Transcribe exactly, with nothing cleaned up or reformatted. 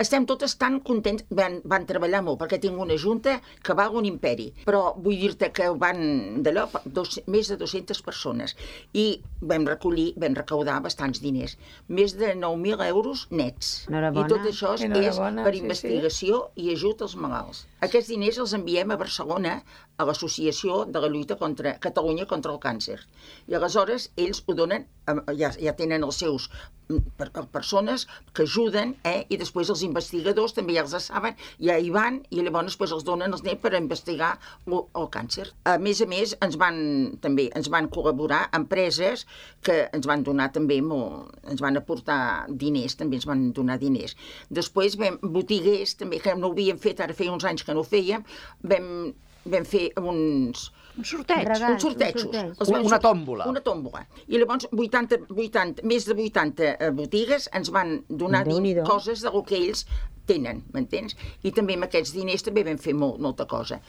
estem totes tan contents, van, van treballar molt, perquè tinc una junta que val un imperi, però vull dir-te que van d'allò dos, més de dues-centes persones, i vam recollir, vam recaudar bastants diners, més de nou mil euros nets. Enhorabona. I tot això és Enhorabona, per sí, investigació sí. i ajut als malalts. Aquests diners els enviem a Barcelona, a l'Associació de la Lluita contra Catalunya contra el Càncer. I aleshores ells ho donen, ja, ja tenen els seus per, per persones que ajuden, eh? I després els investigadors també ja els saben, ja hi van, i llavors després els donen els nens per investigar el, el càncer. A més a més, ens van, també, ens van col·laborar empreses que ens van donar també molt, ens van aportar diners, també ens van donar diners. Després vam, botiguers, també, que no ho havíem fet, ara feia uns anys que no ho fèiem, vam, vam fer uns... Un sorteig. Regals, uns sortejos. un sorteig. Els Una, vam- una tòmbola. Una tòmbola. I llavors vuitanta, vuitanta, més de vuitanta botigues ens van donar din- Déu-n'hi-do. coses del que ells tenen, m'entens? I també amb aquests diners també vam fer molt, molta cosa.